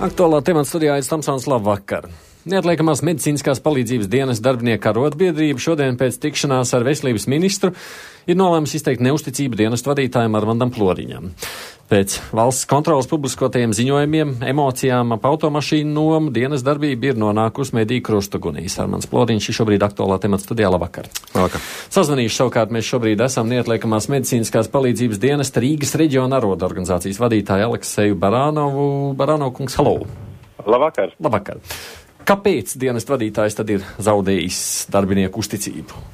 Aktuālā temata studijā ir Tamsons. Labvakar. Neatliekamās medicīniskās palīdzības dienas darbinieku arotbiedrība šodien pēc tikšanās ar veselības ministru ir nolēmusi izteikt neusticību dienestu vadītājam Armandam Floriņam. Pēc valsts kontrolas publiskotajiem ziņojumiem, emocijām ap automašīnu nomu dienas darbība ir nonākusi mediju krustugunīs. Armands Floriņš ir šobrīd aktuālā temata studijā. Labvakar. Labvakar. Sazvanījuši savukārt mēs šobrīd esam neatliekamās medicīniskās palīdzības dienesta Rīgas reģiona arotbiedrības vadītāju Alekseju Baranovu. Baranovu kungs, halo! Labvakar! Labvakar! Kāpēc dienesta vadītājs tad ir zaudējis darbinieku uzticību?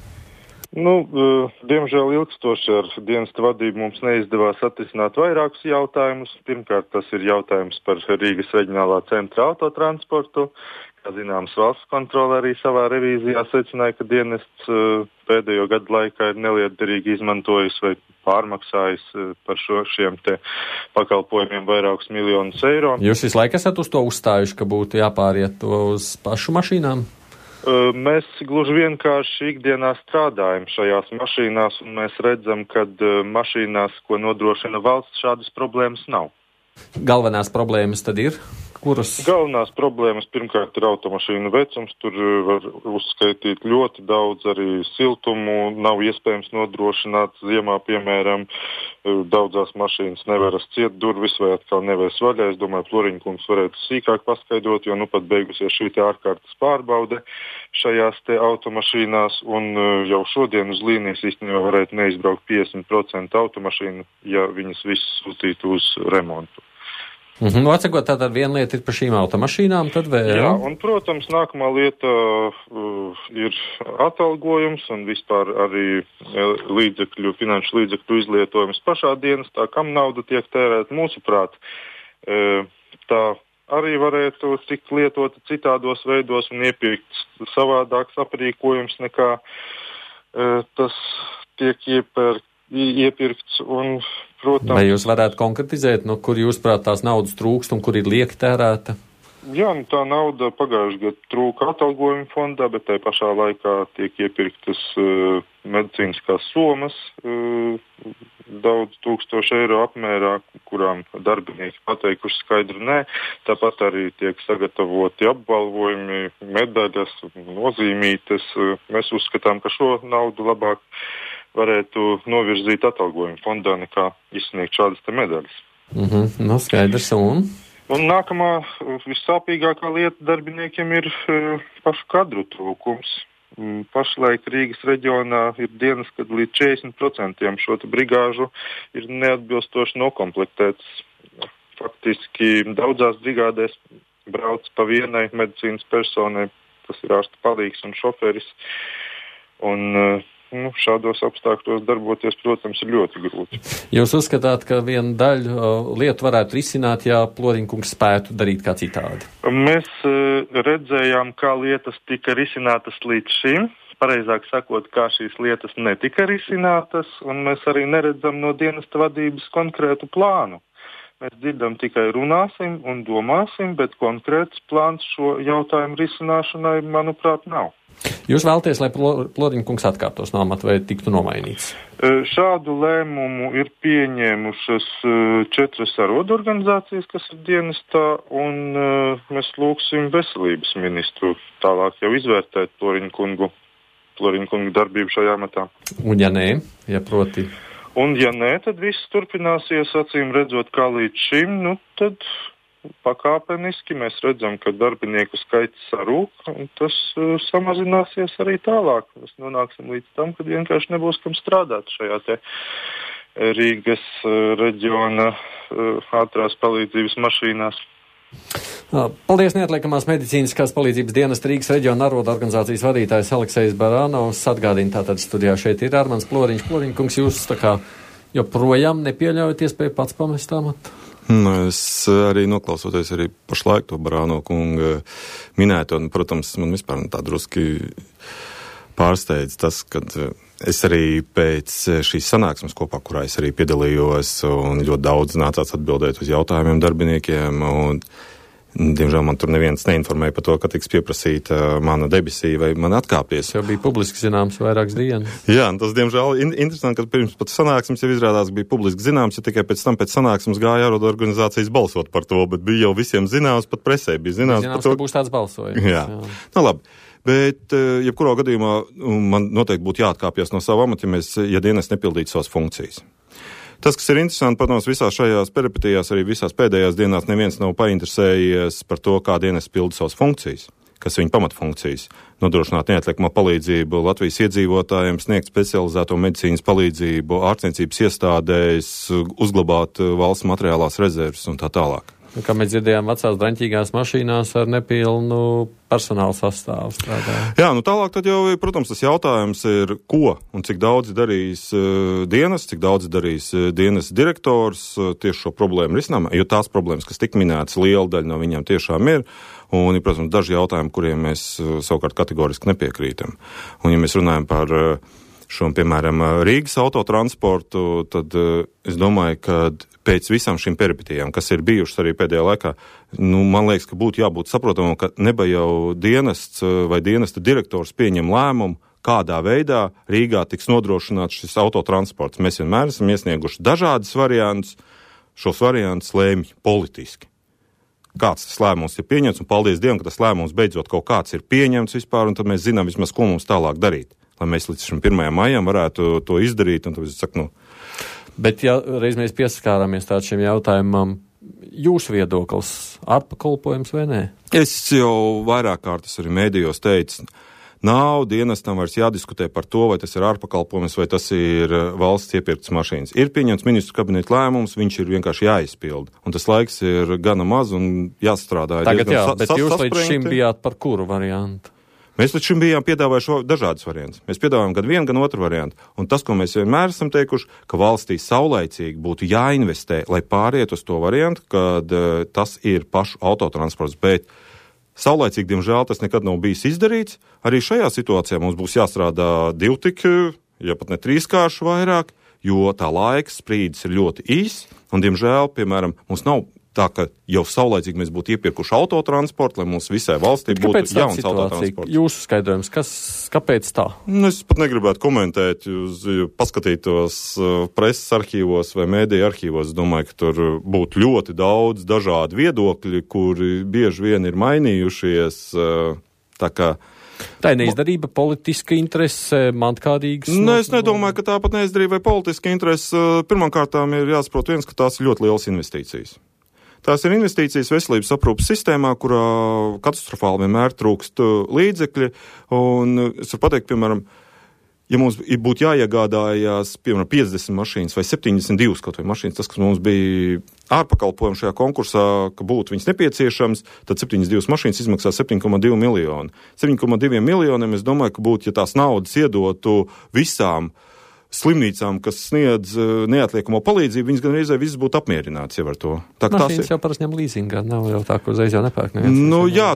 Diemžēl ilgstoši ar dienesta vadību mums neizdevās atrisināt vairākus jautājumus. Pirmkārt, tas ir jautājums par Rīgas reģionālā centra autotransportu. Kā zināms, valsts kontrole arī savā revīzijā secināja, ka dienests pēdējo gadu laikā ir nelietderīgi izmantojis vai pārmaksājis par šiem te pakalpojumiem vairākus miljonus eiro. Jūs visu laiku esat uz to uzstājuši, ka būtu jāpāriet to uz pašu mašīnām? Mēs gluži vienkārši ikdienā strādājam šajās mašīnās, un mēs redzam, ka mašīnās, ko nodrošina valsts, šādas problēmas nav. Galvenās problēmas tad ir? Kuras? Galvenās problēmas pirmkārt ir automašīnu vecums. Tur var uzskaitīt ļoti daudz arī siltumu. Nav iespējams nodrošināt ziemā, piemēram, daudzās mašīnas nevaras ciet durvis vai atkal nevēs vaļā. Es domāju, Floriņa kungs varētu sīkāk paskaidrot, jo pat beigusies šī te ārkārtas pārbaude šajās te automašīnās, un jau šodien uz līnijas īstenībā varētu neizbraukt 50% automašīnu, ja viņas visas sūtītu uz remontu. Atsakot, tātad viena lieta ir par šīm automašīnām, tad vēl? Jā, un, protams, nākamā lieta ir atalgojums un vispār arī finanšu līdzekļu izlietojums pašā dienestā, kam nauda tiek tērēta. Mūsuprāt, tā arī varētu tikt lietota citādos veidos un iepirkt savādāks aprīkojums nekā tas tiek iepirkts un, protams... Vai jūs varētu konkretizēt, kur jūs prāt tās naudas trūkst un kur ir lieki tērēta? Jā, tā nauda pagājušajā gadā trūka atalgojuma fondā, bet tai pašā laikā tiek iepirktas medicīniskās somas daudz tūkstošu eiro apmērā, kurām darbinieki pateikuši skaidru nē. Tāpat arī tiek sagatavoti apbalvojumi, medaļas, nozīmītes. Mēs uzskatām, ka šo naudu labāk varētu novirzīt atalgojuma fondā nekā izsniegt šādas te medaļas. Skaidrs. Un nākamā vissāpīgākā lieta darbiniekiem ir pašu kadru trūkums. Pašlaik Rīgas reģionā ir dienas, kad līdz 40% šo te brigāžu ir neatbilstoši nokomplektēts. Faktiski daudzās brigādēs brauc pa vienai medicīnas personai, tas ir ārsta palīgs un šoferis. Un šādos apstākļos darboties, protams, ir ļoti grūti. Jūs uzskatāt, ka viena daļa lietu varētu risināt, ja Floriņa kungs spētu darīt kā citādi? Mēs redzējām, kā lietas tika risinātas līdz šim. Pareizāk sakot, kā šīs lietas netika risinātas, un mēs arī neredzam no dienesta vadības konkrētu plānu. Mēs dzirdam tikai runāsim un domāsim, bet konkrēts plāns šo jautājumu risināšanai, manuprāt, nav. Jūs vēlaties, lai Floriņa kungs atkāptos no amata vai tiktu nomainīts? Šādu lēmumu ir pieņēmušas 4 arotbiedrības, kas ir dienestā, un mēs lūgsim veselības ministru tālāk jau izvērtēt Floriņa kungu darbību šajā amatā. Un ja nē, proti? Un ja nē, tad viss turpināsies, acīm redzot, kā līdz šim, tad pakāpeniski mēs redzam, ka darbinieku skaits sarūk, un tas samazināsies arī tālāk. Mēs nonāksim līdz tam, kad vienkārši nebūs kam strādāt šajā te Rīgas reģiona ātrās palīdzības mašīnās. Paldies, neatliekamās medicīniskās palīdzības dienesta Rīgas reģiona arotbiedrības vadītājs Aleksejs Baranovs. Atgādina, tātad studijā šeit ir Armands Floriņš. Floriņa kungs, jūs joprojām nepieļaujat iespēju pats pamest amatu? Es arī noklausoties arī pašlaik to Baranovu kunga minēto, un, protams, man vispār tā druski pārsteidz tas, kad es arī pēc šīs sanāksmes kopā, kurā es arī piedalījos, un ļoti daudz nācās atbildēt uz jautājumiem darbiniekiem, un Diemžēl man tur neviens neinformēja par to, ka tiks pieprasīta mana debesija vai man atkāpties. Tas jau bija publiski zināms vairākas dienas. Jā, tas diemžēl interesanti, ka pirms pat sanāksmes jau izrādās bija publiski zināms, ja tikai pēc sanāksmes gāja ārodu organizācijas balsot par to, bet bija jau visiem zināms, pat presē bija zināms par to. Ka būs tāds balsojums. Jā. Nu labi. Bet, jebkurā gadījumā, man noteikti būtu jāatkāpjas no sava amata, ja dienas nepildītu savas funkcijas. Tas, kas ir interesanti, protams, visās šajās peripetijās, arī visās pēdējās dienās neviens nav painteresējies par to, kā dienas pilda savas funkcijas, kas ir viņa pamatfunkcijas. Nodrošināt neatliekamo palīdzību Latvijas iedzīvotājiem, sniegt specializēto medicīnas palīdzību, ārstniecības iestādēs, uzglabāt valsts materiālās rezerves un tā tālāk. Kā mēs dzirdējām, vecās draņķīgās mašīnās ar nepilnu personāla sastāvu strādā. Jā, nu tālāk tad jau, protams, tas jautājums ir, ko un cik daudz darīs dienas, cik daudz darīs dienas direktors tieši šo problēmu risinājumā, jo tās problēmas, kas tik minētas, liela daļa no viņām tiešām ir, un ir, protams, daži jautājumi, kuriem mēs savukārt kategoriski nepiekrītam. Un ja mēs runājam par šo, piemēram, Rīgas autotransportu, tad es domāju, ka pēc visām šīm peripetijām, kas ir bijušas arī pēdējā laikā, man liekas, ka būtu jābūt saprotamam, ka neba jau dienests vai dienesta direktors pieņem lēmumu, kādā veidā Rīgā tiks nodrošināts šis autotransports. Mēs vienmēr esam iesnieguši dažādas variantus, šos variantus lēmj politiski. Kāds tas lēmums ir pieņemts, un paldies Dievam, ka tas lēmums beidzot kaut kāds ir pieņemts vispār, un tad mēs zinām vismaz, ko mums tālāk darīt. Lai mēs līdz šim 1. maijam varētu to izdarīt, un tad es saku, Bet, ja reiz mēs pieskārāmies tādu šiem jautājumam, jūsu viedoklis ārpakalpojums vai nē? Es jau vairāk kārtas arī mēdījos teicu, nav dienestam vairs jādiskutē par to, vai tas ir ārpakalpojums, vai tas ir valsts iepirktas mašīnas. Ir pieņemts ministru kabineta lēmums, viņš ir vienkārši jāizpilda. Un tas laiks ir gana maz un jāstrādā. Tagad jā, bet jūs līdz šim bijāt par kuru variantu? Mēs līdz šim bijām piedāvājuši dažādas variantus. Mēs piedāvājam gan vienu, gan otru variantu. Un tas, ko mēs vienmēr esam teikuši, ka valstī saulaicīgi būtu jāinvestē, lai pāriet uz to variantu, kad tas ir pašu autotransports. Bet saulaicīgi, diemžēl, tas nekad nav bijis izdarīts. Arī šajā situācijā mums būs jāstrādā divtik, ja pat ne trīskārši vairāk, jo tā laika sprīdis ir ļoti īs. Un, diemžēl, piemēram, mums nav tā, ka jau saulaicīgi mēs būtu iepirkuši autotransportu, lai mums visai valstī būtu jauns autotransports. Jūsu skaidrojums, kāpēc tā? Es pat negribētu komentēt, paskatītos preses arhīvos vai mēdīju arhīvos. Es domāju, ka tur būtu ļoti daudz dažādu viedokļi, kuri bieži vien ir mainījušies. Tā kā tā ir neizdarība, politiska interese, mantkādīgas? Es nedomāju, ka tāpat neizdarība vai politiska interese. Pirmkārtām ir jāsaprot viens, ka tās ir ļoti lielas investīcijas. Tās ir investīcijas veselības aprūpas sistēmā, kurā katastrofāli vienmēr trūkst līdzekļi. Un es varu pateikt, piemēram, ja mums būtu jāiegādājās, piemēram, 50 mašīnas vai 72 kaut vai mašīnas, tas, kas mums bija ārpakalpojumi šajā konkursā, ka būtu viņas nepieciešams, tad 72 mašīnas izmaksā 7,2 miljoni. 7,2 miljoniem es domāju, ka būtu, ja tās naudas iedotu visām slimnīcām, kas sniedz neatliekamo palīdzību, viņas gan reizē visas būtu apmierināts jau ar to. Mašīnas jau parasti ņem līzingā, nav jau tā, ka uzreiz jau nepērk. Jā,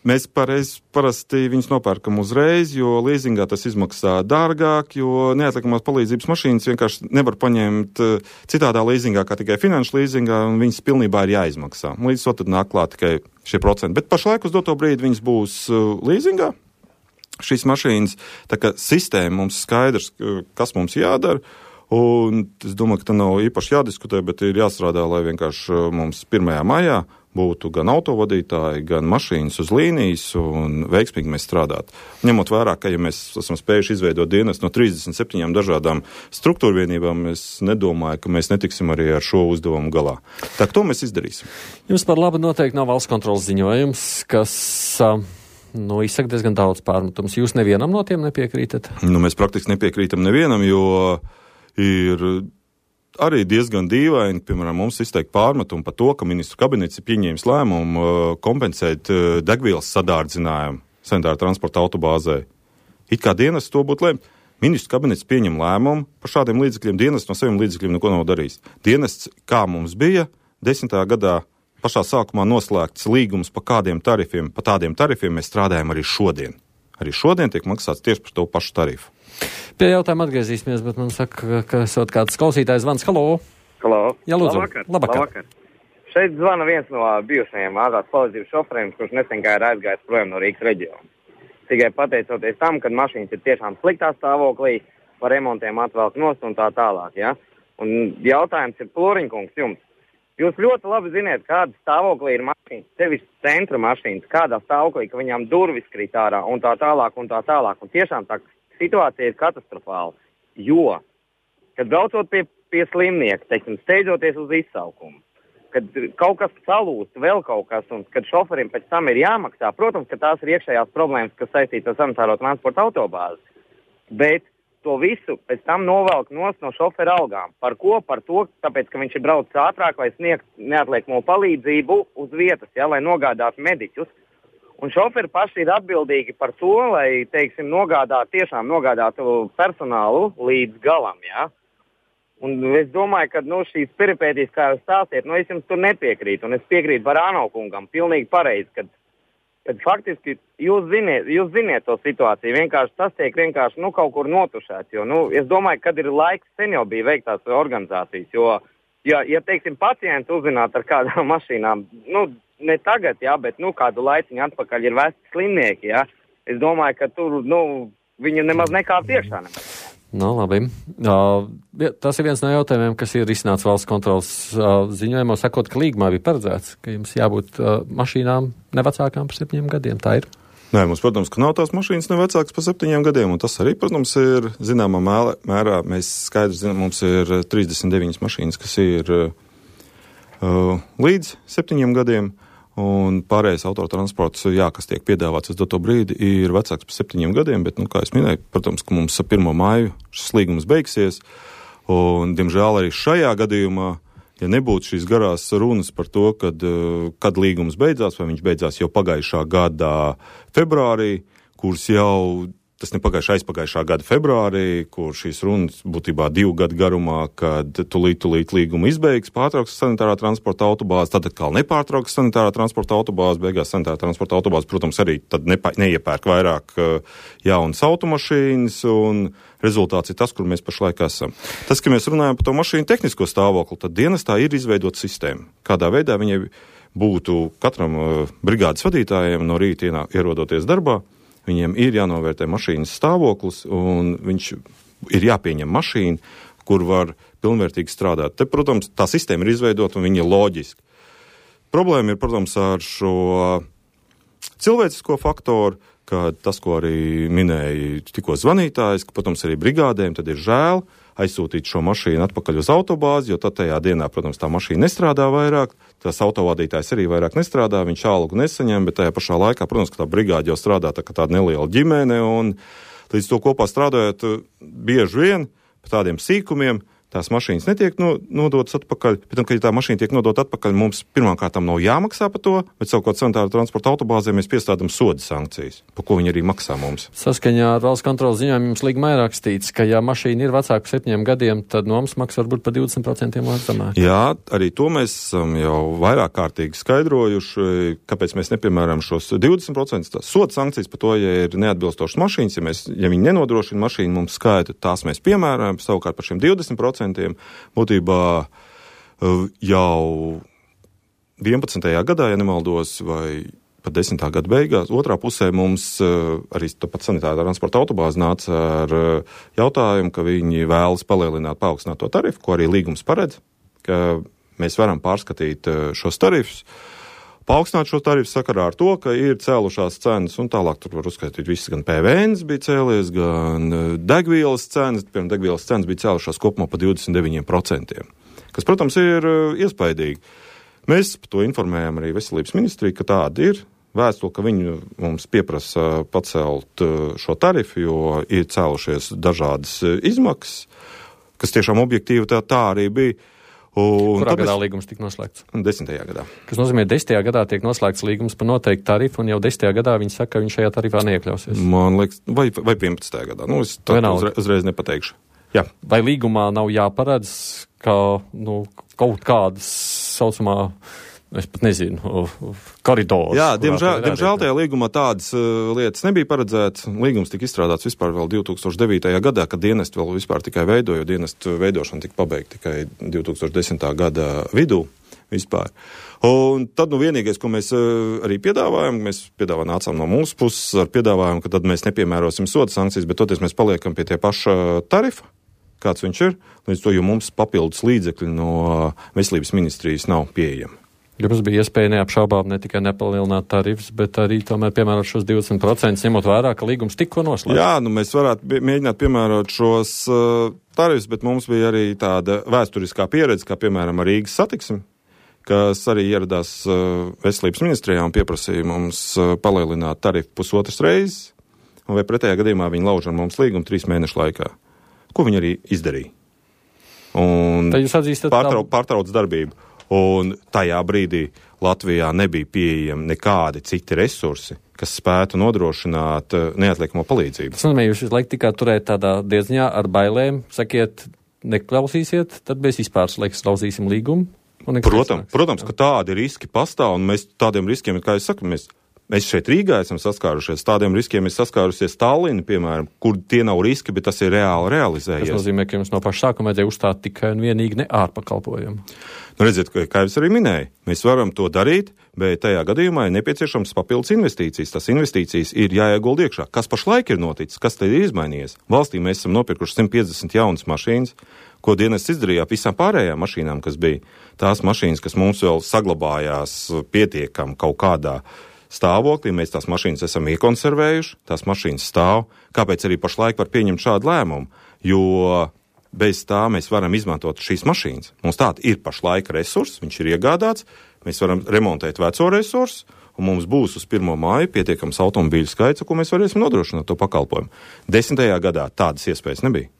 mēs parasti viņus nopērkam uzreiz, jo līzingā tas izmaksā dārgāk, jo neatliekamās palīdzības mašīnas vienkārši nevar paņemt citādā līzingā, kā tikai finanšu līzingā, un viņas pilnībā ir jāizmaksā. Līdz to tad nāk klāt tikai šie procenti. Bet pašlaik uz doto brīdi viņas būs līzingā. Šīs mašīnas, tā kā sistēma mums skaidrs, kas mums jādara, un es domāju, ka tā nav īpaši jādiskutē, bet ir jāstrādā, lai vienkārši mums 1. maijā būtu gan autovadītāji, gan mašīnas uz līnijas, un veiksmīgi mēs strādātu. Ņemot vērā, ka ja mēs esam spējuši izveidot dienas no 37 dažādām struktūrvienībām, es nedomāju, ka mēs netiksim arī ar šo uzdevumu galā. Tā, to mēs izdarīsim. Jums par labu noteikti nav valsts kontrolas ziņojums, kas izsaka diezgan daudz pārmetums. Jūs nevienam no tiem nepiekrītat? Mēs praktiski nepiekrītam nevienam, jo ir arī diezgan dīvaini, piemēram, mums izteikt pārmetumu par to, ka ministru kabinets ir pieņēmis lēmumu kompensēt degvielas sadārdzinājumu sanitāra transporta autobāzē. It kā dienas to būtu lēmt. Ministru kabinets pieņem lēmumu par šādiem līdzekļiem, dienas no saviem līdzekļiem neko nav darījis. Dienas, kā mums bija 10. gadā, pašā sākumā noslēgts līgums par kādiem tarifiem, pa tādiem tarifiem mēs strādājam arī šodien. Arī šodien tiek maksāts tieši par to pašu tarifu. Pie jautājuma atgriezīsimies, bet man saka, ka esot kāds klausītājs zvans. Halo! Halo! Jā, lūdzu. Labvakar. Šeit zvana viens no bijušajiem ātrās palīdzības šoferiem, kurš nesen ir aizgājis projām no Rīgas reģiona. Tikai pateicoties tam, kad mašīnas ir tiešām sliktā stāvoklī, par remontiem atvelk nost un tā tālāk. Ja? Un jautājums ir, Ploriņkungs, jums. Jūs ļoti labi ziniet, kāda stāvoklī ir mašīnas, sevišķi centra mašīnas, kādā stāvoklī, ka viņām durvis krīt ārā un tā tālāk un tā tālāk. Un tiešām tā situācija ir katastrofāla, jo, kad braucot pie slimnieka, teiksim, steidzoties uz izsaukumu, kad kaut kas salūst, vēl kaut kas, un kad šoferim pēc tam ir jāmaksā, protams, ka tās ir iekšējās problēmas, kas saistītas ar sanitāro transporta autobāzi, bet to visu pēc tam novelk nost no šofera algām. Par ko? Par to, tāpēc, ka viņš ir braucis ātrāk, lai sniegt neatliekamo palīdzību uz vietas, ja, lai nogādātu mediķus. Un šoferi paši ir atbildīgi par to, lai, teiksim, nogādātu personālu līdz galam, ja. Un es domāju, ka, šīs peripētīs, kā jūs stāstiet, es jums tur nepiekrītu, un es piekrītu Barāno kungam, pilnīgi pareizi, kad faktiski jūs ziniet to situāciju, vienkārši tas tiek vienkārši, kaut kur notušēts, jo, es domāju, kad ir laiks, sen jau bija veiktās organizācijas, jo, ja teiksim, pacients uzzināt ar kādām mašīnām, ne tagad, jā, bet, kādu laiciņu atpakaļ ir vesti slimnieki, jā, es domāju, ka tur, viņi nemaz nekāp iekšā nemaz. Labi. Tas ir viens no jautājumiem, kas ir risināts valsts kontrolas ziņojumā, sakot, ka līgumā bija paredzēts, ka jums jābūt mašīnām nevecākām par 7 gadiem. Tā ir? Nē, mums, protams, ka nav tās mašīnas nevecākas par 7 gadiem, un tas arī, protams, ir zināmā mērā. Mēs skaidri zinām, mums ir 39 mašīnas, kas ir līdz 7 gadiem. Un pārējais autotransports, kas tiek piedāvāts uz doto brīdi, ir vecāks par 7 gadiem, bet, kā es minēju, protams, ka mums ar 1. māju šis līgums beigsies, un, diemžēl, arī šajā gadījumā, ja nebūtu šīs garās runas par to, kad līgums beidzās, vai viņš beidzās jau pagājušā gada februārī, kuras jau, tas ne aizpagājušā gada februārī, kur šīs runas būtībā 2 gadu garumā, kad tulīt līgumu izbeigs, pārtrauks sanitārā transporta autobāzi, tad atkal nepārtrauks sanitārā transporta autobāzi, beigās sanitārā transporta autobāzi, protams, arī tad neiepērk vairāk jaunas automašīnas, un rezultāts ir tas, kur mēs pašlaik esam. Tas, ka mēs runājam par to mašīnu tehnisko stāvokli, tad dienestā ir izveidota sistēma. Kādā veidā viņai būtu katram brigādes vadītājiem no rīta ierodoties darbā, viņiem ir jānovērtē mašīnas stāvoklis, un viņš ir jāpieņem mašīna, kur var pilnvērtīgi strādāt. Te, protams, tā sistēma ir izveidota, un viņa ir loģiska. Problēma ir, protams, ar šo cilvēcisko faktoru, ka tas, ko arī minēja tikko zvanītājs, ka, protams, arī brigādēm tad ir žēl aizsūtīt šo mašīnu atpakaļ uz autobāzi, jo tad tajā dienā, protams, tā mašīna nestrādā vairāk, tās autovadītājs arī vairāk nestrādā, viņš algu nesaņem, bet tajā pašā laikā, protams, ka tā brigāde jau strādā tā kā tāda neliela ģimene, un līdz to kopā strādājot bieži vien par tādiem sīkumiem, tās mašīnas netiek nodotas atpakaļ, bet, kad tā mašīna tiek nodota atpakaļ, mums pirmkārtām nav jāmaksā par to, bet savukārt sanitāra transporta autobāzē mēs piestādām soda sankcijas, par ko viņi arī maksā mums. Saskaņā ar valsts kontrolas ziņojumu jums līgumā ir rakstīts, ka ja mašīna ir vecāka par 7 gadiem, tad nomas maksa var būt par 20% zemāk. Jā, arī to mēs esam jau vairāk kārtīgi skaidrojuši, kāpēc mēs nepiemēram šos 20%. Soda sankcijas par to, ja ir neatbilstošas mašīnas, ja viņi nenodrošina mašīnu mums skaitu, tās mēs piemēram, savukārt par šiem 20%. Būtībā jau 11. gadā, ja nemaldos, vai pat 10. gada beigās, otrā pusē mums arī pat sanitārā transporta autobāze nāca ar jautājumu, ka viņi vēlas paaugstināt to tarifu, ko arī līgums paredz, ka mēs varam pārskatīt šos tarifus. Paaugstināt šo tarifu sakarā ar to, ka ir cēlušās cenas, un tālāk tur var uzskaitīt viss, gan PVN bija cēlies, gan degvielas cenas, piemēram, degvielas cenas bija cēlušās kopumā pa 29%, kas, protams, ir iespaidīgi. Mēs par to informējam arī Veselības ministriju, ka tāda ir vēstule, ka viņi mums pieprasa pacelt šo tarifu, jo ir cēlušies dažādas izmaksas, kas tiešām objektīvi tā arī bija. Kurā gadā līgums tika noslēgts? 10. gadā. Kas nozīmē, 10. gadā tiek noslēgts līgums par noteiktu tarifu, un jau 10. gadā viņi saka, ka viņš šajā tarifā neiekļausies. Man liekas, vai 11. gadā. Es uzreiz nepateikšu. Jā. Vai līgumā nav jāparedz, ka kaut kādas saucamā, es pat nezinu, koridors. Jā, diemžēl tajā līgumā tādas lietas nebija paredzētas. Līgums tika izstrādāts vispār vēl 2009. gadā, kad dienesti vēl vispār tikai veidoja, jo dienestu veidošana tika pabeigta tikai 2010. gada vidū. vispār. Un tad, vienīgais, ko mēs arī piedāvājam, nācām no mūsu puses ar piedāvājumu, ka tad mēs nepiemērosim soda sankcijas, bet toties mēs paliekam pie tie paša tarifa, kāds viņš ir, līdz to, jo mums papildus līdzekļi no veselības ministrijas nav pieejami. Jums bija iespēja neapšaubām ne tikai nepalielināt tarifus, bet arī tomēr piemērot šos 20%, ņemot vērā, ka līgums tikko noslēgts. Jā, mēs varētu mēģināt piemērot šos tarifus, bet mums bija arī tāda vēsturiskā pieredze, kā piemēram Rīgas satiksme, kas arī ieradās veselības ministrijā un pieprasīja mums palielināt tarifu 1,5 reizes, vai pretējā gadījumā viņi lauž ar mums līgumu 3 mēnešu laikā. Ko viņi arī izdarīja. Un pārtrauc darbību. Un tajā brīdī Latvijā nebija pieejami nekādi citi resursi, kas spētu nodrošināt neatliekamo palīdzību. Tas nozīmē, jūs visu laiku tikai turēt tādā diezņā ar bailēm, sakiet, neklausīsiet, tad mēs vispār slauzīsim līgumu. Protams, ka tādi riski pastāv, un mēs tādiem riskiem, kā es saku, mēs šeit Rīgā esam saskārušies, tādiem riskiem ir saskārusies Tallina, piemēram, kur tie nav riski, bet tas ir reāli realizējies. Tas nozīmē, ka jums no paša sākuma vajadzēja uzstāt tikai un vienīgi ne ārpakalpojumu. Redziet, kā es arī minēju, mēs varam to darīt, bet tajā gadījumā ir nepieciešams papildus investīcijas. Tas investīcijas ir jāiegulda iekšā. Kas pašlaik ir noticis? Kas tad ir izmainījies? Valstī mēs esam nopirkuši 150 jaunas mašīnas, ko dienests izdarīja visām pārējām mašīnām, kas bija. Tās mašīnas, kas mums vēl saglabājās pietiekam kaut kādā stāvoklī, mēs tās mašīnas esam iekonservējuši, tās mašīnas stāv. Kāpēc arī pašlaik var pieņemt šādu lēmumu? Jo bez tā mēs varam izmantot šīs mašīnas. Mums tāda ir pašlaika resurss, viņš ir iegādāts, mēs varam remontēt veco resursu, un mums būs uz 1. māju pietiekams automobīļu skaits, ko mēs varēsim nodrošināt to pakalpojumu. 10. gadā tādas iespējas nebija.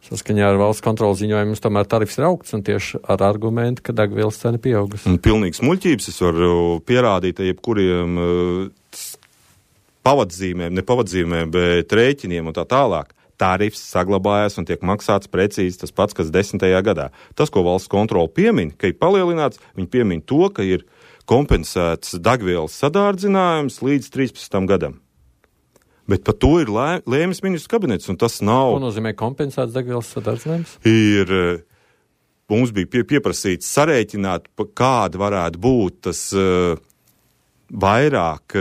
Saskaņā ar valsts kontrolas ziņojumu tomēr tarifs ir augsts un tieši ar argumentu, ka degvielas cena pieaugusi. Pilnīgs muļķības. Es varu pierādīt jebkuriem nepavadzīmēm, bet rēķiniem un tā tālāk. Tarifs saglabājās un tiek maksāts precīzi tas pats, kas 10. gadā. Tas, ko valsts kontrola piemin, ka ir palielināts, viņi piemin to, ka ir kompensēts degvielas sadārdzinājums līdz 13. gadam. Bet par to ir lēmis ministru kabinets, un tas nav... Ko nozīmē kompensēts degvielas sadārdzinājums? Mums bija pieprasīts sarēķināt, kāda varētu būt tas vairāk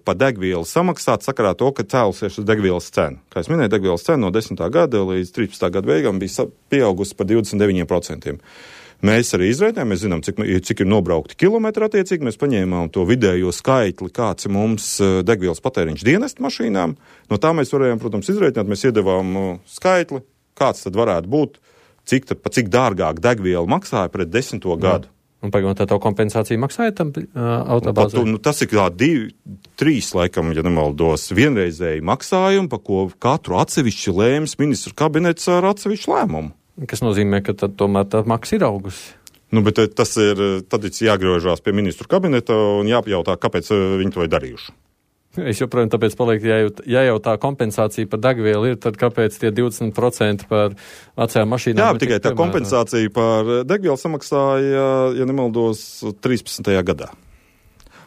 pa degvielu samaksāt sakarā to, ka cēlusies uz degvielas cenu. Kā es minēju, degvielas cena no 10. gada līdz 13. gada beigām bija pieaugusi par 29%. Mēs arī izrēķinājām, mēs zinām, cik ir nobraukti kilometri attiecīgi, mēs paņēmām to vidējo skaitli, kāds ir mums degvielas patēriņš dienestu mašīnām. No tā mēs varējām, protams, izrēķināt, mēs iedevām skaitli, kāds tad varētu būt, cik dārgāk degviela maksāja pret 10. gadu. Un pagaidām tā kompensācija maksāja tam autobāzē? Tas ir 2-3, laikam, ja nemaldos, vienreizēji maksājumi, pa ko katru atsevišķi lēmis ministru kabinets ar atsevišķu lēmumu. Kas nozīmē, ka tad tomēr tā maksa ir augusi. Bet tas ir, tad ir jāgriežās pie ministru kabineta un jāpajautā, kāpēc viņi to ir darījuši. Es joprojām tāpēc palieku, ja jau tā kompensācija par degvielu ir, tad kāpēc tie 20% par vecajām mašīnām? Jā, tikai tā kompensācija par degvielu samaksāja, ja nemaldos, 13. gadā.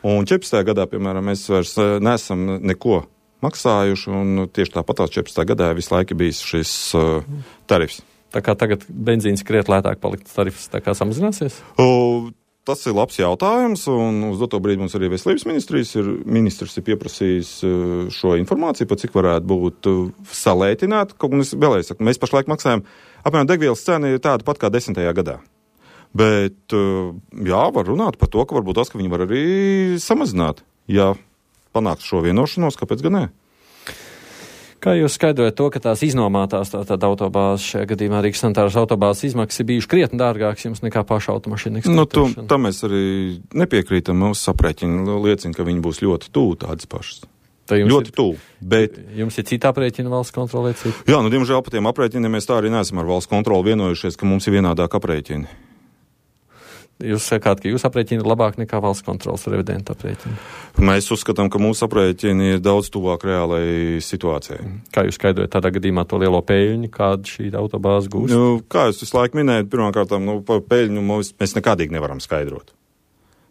Un 14. gadā, piemēram, mēs vairs neesam neko maksājuši, un tieši tāpatās 14. gadā visu laiku bijis šis tarifs. Tā kā tagad benzīns kriet lētāk palikt, tarifs tā kā samazināsies? Tas ir labs jautājums, un uz doto brīdi mums arī veselības ministrs ir pieprasījis šo informāciju, par cik varētu būt salētināt. Kaut gan es vēlreiz saku, mēs pašlaik maksājam, apmēram degvielas cena ir tāda pat kā 10. gadā. Bet, jā, var runāt par to, ka varbūt tas, ka viņi var arī samazināt, ja panāks šo vienošanos, kāpēc gan ne? Kā jūs skaidrojat to, ka tās iznomātās tātad autobāzes, šajā gadījumā Rīgas sanitāras autobāzes izmaksas ir bijuši krietni dārgāks jums nekā paša automašīna eksploatēšana? Tam mēs arī nepiekrītam. Mūsu aprēķini liecina, ka viņi būs ļoti tuvu tādas pašas. Ļoti tuvu. Bet jums ir cita aprēķina valsts kontrolē? Jā, diemžēl par tiem aprēķiniem mēs tā arī neesam ar valsts kontroli vienojušies, ka mums ir vienādāk aprēķini. Jūs sakāt, ka jūs aprēķini ir labāk nekā valsts kontrolas revidenta aprēķini? Mēs uzskatām, ka mūsu aprēķini ir daudz tuvāk reālai situācijai. Kā jūs skaidrojat tādā gadījumā to lielo peļņu, kādu šī autobāze gūst? Kā jūs visu laiku minējat, pirmkārtām, par peļņu mēs nekādīgi nevaram skaidrot.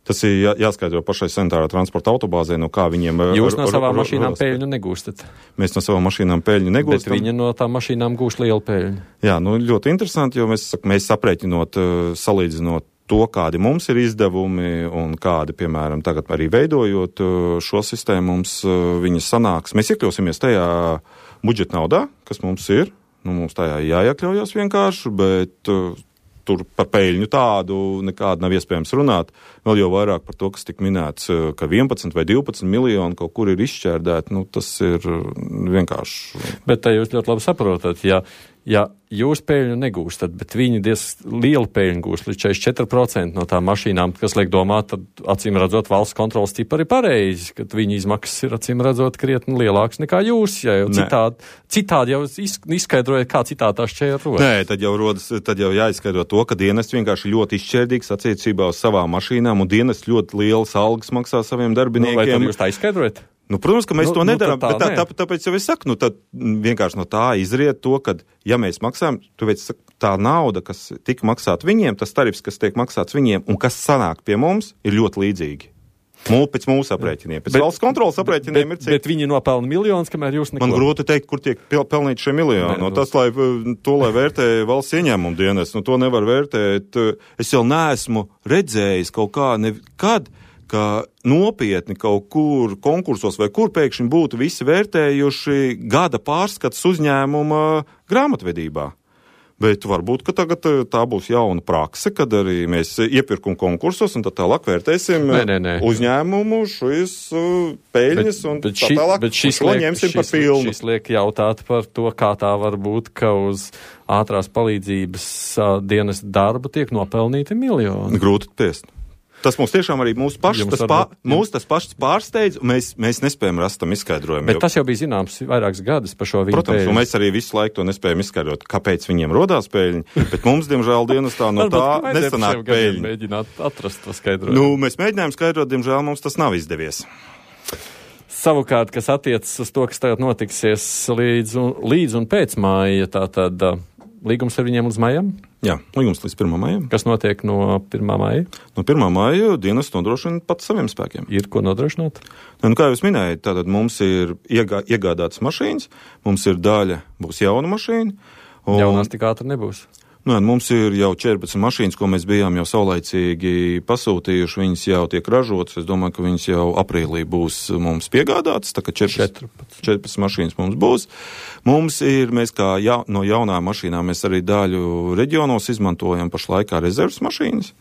Tas ir jāskaidro pašai sanitārā transporta autobāzē, no kā viņiem... Jūs no savām mašīnām peļņu negūstat? Mēs no savām mašīnām peļņu negūstam. Bet viņi no tām mašīnām gūst lielu peļņu? Jā, ļoti interesanti, jo mēs aprēķinot, salīdzinot to, kādi mums ir izdevumi un kādi, piemēram, tagad arī veidojot šo sistēmu, mums viņas sanāks. Mēs iekļausimies tajā budžeta naudā, kas mums ir. Mums tajā jāiekļaujas vienkārši, bet tur par peļņu tādu nekādu nav iespējams runāt. Vēl jau vairāk par to, kas tik minēts, ka 11 vai 12 miljoni kaut kur ir izšķērdēti, tas ir vienkārši. Bet jūs ļoti labi saprotat, ja jūs peļņu negūstat, bet viņi lielu peļņu gūst līdz 44% no tām mašīnām, kas liek domāt, tad acīm redzot valsts kontrolas tipari ir pareizi, ka viņa izmaksas ir acīm redzot krietni lielāks nekā jūs, ja jau citādi jau izskaidrojat, kā citādi tā šķēra rodas. Nē, tad jau jāizskaidro to, ka dienests vienkārši ļoti izšķērdīgs attiecībā uz savām mašīnām, un dienests ļoti lielas algas maksā saviem darbiniekiem. Vai tad jūs tā izskaidrojat? Protams, ka mēs to nedarām, bet tāpēc jau es saku, tad vienkārši no tā izriet to, ka, ja mēs maksājam, tā nauda, kas tika maksāta viņiem, tas tarifs, kas tiek maksāts viņiem un kas sanāk pie mums, ir ļoti līdzīgi. Pēc mūsu aprēķiniem. Pēc valsts kontrolas aprēķiniem ir cik. Bet viņi nopelna miljonus, kamēr jūs neko. Man grūti teikt, kur tiek pelnīti šie miljoni. Tas, lai vērtē valsts ieņēmumu dienas, to nevar vērtēt. Es jau neesmu redzējis kaut kā nekad, ka nopietni kaut kur konkursos vai kur pēkšņi būtu visi vērtējuši gada pārskats uzņēmuma grāmatvedībā. Bet varbūt, ka tagad tā būs jauna prakse, kad arī mēs iepirkuma konkursos un tā tālāk vērtēsim uzņēmumu, šīs peļņas un tā tālāk. Bet šis liek jautāt par to, kā tā var būt, ka uz ātrās palīdzības dienas darba tiek nopelnīti miljoni. Grūti tiest. Tas mums tiešām arī mūs tas pašs pārsteidz, un mēs nespējam rast tam izskaidrojumu. Bet tas jau bija zināms vairākus gadus par šo viņu Protams, peļņu. Un mēs arī visu laiku to nespējam izskaidrot, kāpēc viņiem rodās peļņa, bet mums, diemžēl, dienestā no tā nesanāk peļņa. Mēģināt atrast to skaidrojumu. Mēs mēģinājām skaidrot, diemžēl mums tas nav izdevies. Savukārt, kas attiecas uz to, kas tagad notiksies līdz un pēc māja, tātad līgums ar viņiem līdz maijam? Jā, līgums līdz 1. maijam. Kas notiek no 1. maija? No 1. maija dienas nodrošina pats saviem spēkiem. Ir ko nodrošināt? Kā jūs minējat, tātad mums ir iegādātas mašīnas, mums ir daļa, būs jauna mašīna. Jaunās tik ātri nebūs. Mums ir jau 14 mašīnas, ko mēs bijām jau saulaicīgi pasūtījuši, viņas jau tiek ražotas. Es domāju, ka viņas jau aprīlī būs mums piegādātas, tā ka 14 mašīnas mums būs. Mēs kā no jaunām mašīnām, mēs arī daļu reģionos izmantojam pašlaik kā rezerves mašīnas.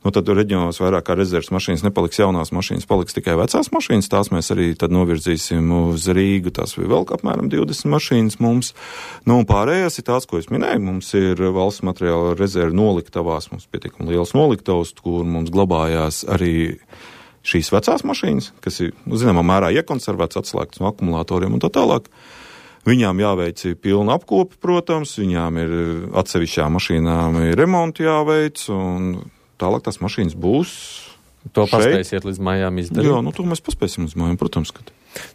Tad reģionos vairāk kā rezerves mašīnas nepaliks jaunās mašīnas, paliks tikai vecās mašīnas. Tās mēs arī tad novirzīsim uz Rīgu. Tās ir vēl apmēram 20 mašīnas mums. Un pārējās ir tās, ko es minēju. Mums ir valsts materiāla rezerve noliktavās. Mums pietiekami liels noliktavs, kur mums glabājās arī šīs vecās mašīnas, kas ir, zināmā mērā, iekonservētas, atslēgtas no akumulatoriem un tā tālāk. Viņām jāveic pilna apkope, protams. Viņām ir atsevišķām mašīnām ir remonti jāveic un tālāk tās mašīnas būs. To paspēsiet līdz mājām izdarīt? Jā, to mēs paspēsim līdz mājām, protams.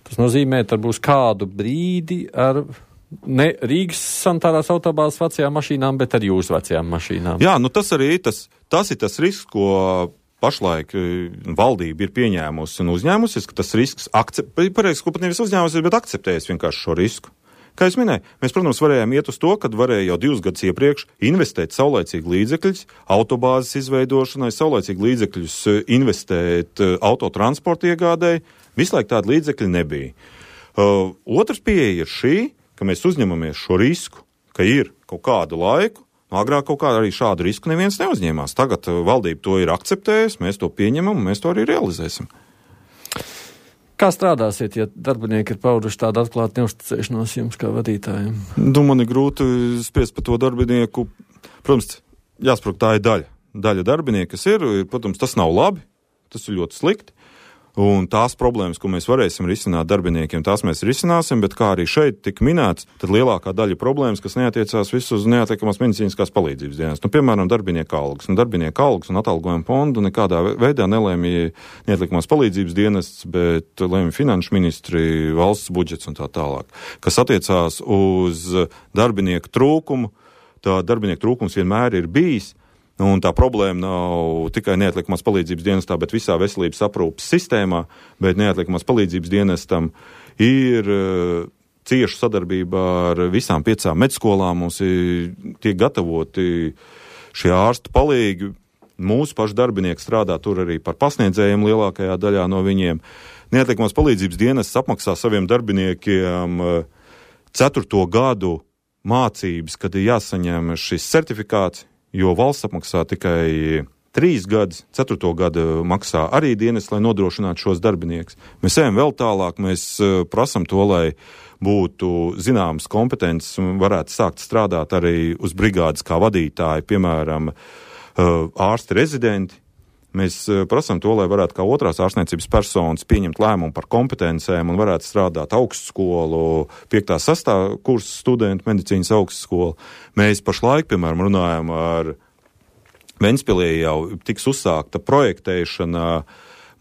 Tas nozīmē, tad būs kādu brīdi ar ne Rīgas sanitārās autobāzes vecajām mašīnām, bet ar jūsu vecajām mašīnām. Jā, tas arī tas ir tas risks, ko pašlaik valdība ir pieņēmusi un uzņēmusies, ka tas risks pareizi, ko pat nevis uzņēmusies, bet akceptējas vienkārši šo risku. Kā es minēju, mēs, protams, varējām iet uz to, kad varēja jau 2 gadus iepriekš investēt saulaicīgi līdzekļus autobāzes izveidošanai, saulaicīgi līdzekļus investēt autotransporta iegādēji. Visu laiku tāda līdzekļa nebija. Otrs pieeja ir šī, ka mēs uzņemamies šo risku, ka ir kaut kādu laiku. Agrāk kaut kā arī šādu risku neviens neuzņēmās. Tagad valdība to ir akceptējusi, mēs to pieņemam un mēs to arī realizēsim. Kā strādāsiet, ja darbinieki ir pauduši tādu atklātu neusticēšanos jums kā vadītājiem? Man ir grūti spriest par to darbinieku. Protams, jāsaprot, tā ir daļa darbinieku, kas ir. Protams, tas nav labi, tas ir ļoti slikti. Un tās problēmas, ko mēs varēsim risināt darbiniekiem, tās mēs risināsim, bet kā arī šeit tika minēts, tad lielākā daļa problēmas, kas neatiecās visu uz neatliekamās medicīniskās palīdzības dienas. Piemēram, darbinieku algas. Darbinieku algas un atalgojuma fondu nekādā veidā nelēmīja neatliekamās palīdzības dienests, bet lēmīja finanšu ministri, valsts budžets un tā tālāk. Kas attiecās uz darbinieku trūkumu, tā darbinieku trūkums vienmēr ir bijis. Un tā problēma nav tikai neatliekamās palīdzības dienestā, bet visā veselības aprūpes sistēmā, bet neatliekamās palīdzības dienestam ir cieša sadarbība ar visām 5 medskolām. Mums tiek gatavoti šie ārstu palīgi. Mūsu paši darbinieki strādā tur arī par pasniedzējiem lielākajā daļā no viņiem. Neatliekamās palīdzības dienests apmaksā saviem darbiniekiem 4. gadu mācības, kad ir jāsaņem šis certifikāts, jo valsts apmaksā tikai 3 gadus, 4. gadu maksā arī dienests, lai nodrošinātu šos darbiniekus. Mēs ejam vēl tālāk, mēs prasam to, lai būtu zināmas kompetences un varētu sākt strādāt arī uz brigādes kā vadītāji, piemēram, ārsti rezidenti. Mēs prasam to, lai varētu kā otrās ārstniecības personas pieņemt lēmumu par kompetencēm un varētu strādāt augstskolu, 5. 6. kursa studentu medicīnas augstskolu. Mēs pašlaik, piemēram, runājam ar Ventspilī jau tiks uzsākta projektēšana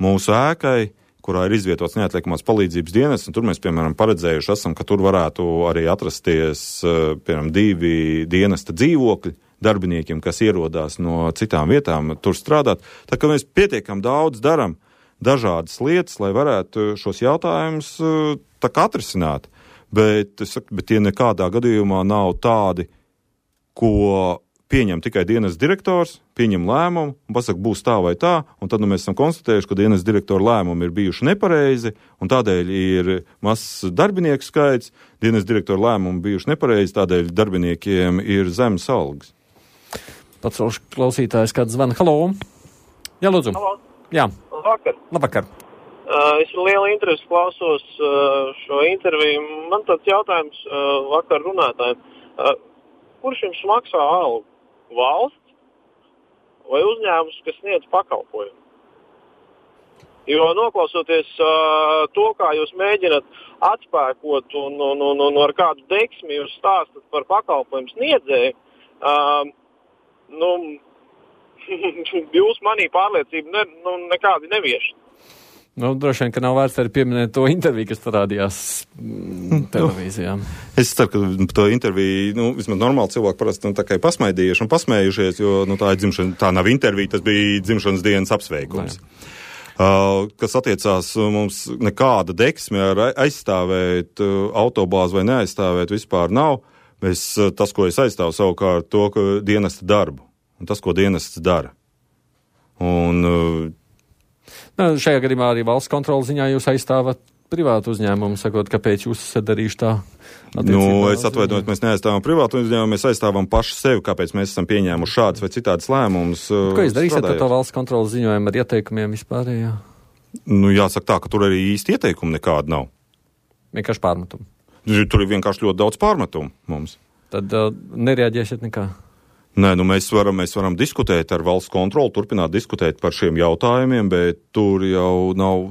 mūsu ēkai, kurā ir izvietots neatliekamās palīdzības dienests, un tur mēs, piemēram, paredzējuši esam, ka tur varētu arī atrasties, piemēram, 2 dienesta dzīvokļi darbiniekiem, kas ierodās no citām vietām, tur strādāt. Tā kā mēs pietiekam daudz daram dažādas lietas, lai varētu šos jautājumus tā kā atrisināt. Bet tie nekādā gadījumā nav tādi, ko pieņem tikai dienas direktors, pieņem lēmumu un pasaka, būs tā vai tā, un tad mēs esam konstatējuši, ka dienas direktora lēmumi ir bijuši nepareizi, un tādēļ ir mazs darbinieku skaits, dienas direktora lēmumi bijuši nepareizi, tādēļ darbiniekiem ir zemes algas. Pats klausītājs kāds zvana. Halo! Jā, lūdzu. Halo. Jā. Labvakar. Es ar lielu interesi klausos šo interviju. Man tāds jautājums vakar runātājiem. Kurš jums maksā algu? Valsts vai uzņēmums, kas sniedz pakalpojumu? Jo noklausoties to, kā jūs mēģināt atspēkot un ar kādu deksmi jūs stāstat par pakalpojumu sniedzēju, jūs manī pārliecību nekādi nevieš. Droši vien, ka nav vērts arī pieminēt to interviju, kas parādījās televīzijā. Es ceru, ka to interviju, vismaz normāli cilvēki parasti tā kā pasmaidījuši un pasmējušies, jo tā ir dzimšana, tā nav intervija, tas bija dzimšanas dienas apsveikums. Kas attiecās mums nekāda deksme ar aizstāvēt autobāzi vai neaizstāvēt vispār nav. Tas, ko es aizstāvu savukārt, to, ka dienesta darbu un tas, ko dienests dara. Šajā gadījumā arī valsts kontrolas ziņā jūs aizstāvat privātu uzņēmumu, sakot, kāpēc jūs esat darījuši tā? Es atvainojos, mēs neaizstāvam privātu uzņēmumu, mēs aizstāvam paši sevi, kāpēc mēs esam pieņēmuši šādas vai citādas lēmumus. Ko jūs darīsiet ar to valsts kontrolas ziņojumu ar ieteikumiem vispārējā? Jāsaka tā, ka tur arī īsti ieteikumi nekāda nav. Vienkārši pārmetumi. Tur ir vienkārši ļoti daudz pārmetumu mums. Tad nereaģēsiet nekā? Nē, mēs varam diskutēt ar valsts kontroli, turpināt diskutēt par šiem jautājumiem, bet tur jau nav,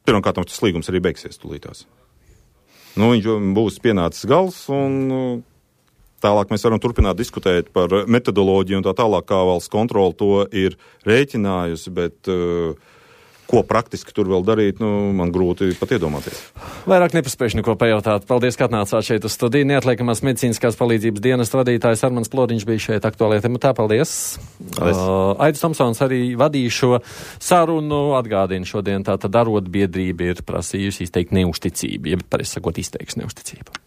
pirmkārt, tas līgums arī beigsies tūlītās. Viņš būs pienācis gals, un tālāk mēs varam turpināt diskutēt par metodoloģiju un tā tālāk, kā valsts kontroli to ir rēķinājusi, bet ko praktiski tur vēl darīt, man grūti pat iedomāties. Vairāk nepaspējuši neko pajautāt. Paldies, ka atnācāt šeit uz studiju. Neatliekamās medicīniskās palīdzības dienesta vadītājs Armands Ploriņš bija šeit aktuālajā tematā. Paldies. Aidis Tomsons arī vadīja šo sarunu. Atgādina šodien tātad arotbiedrība ir prasījusi izteikt neusticību, jeb pareizi sakot, izteiks neusticību.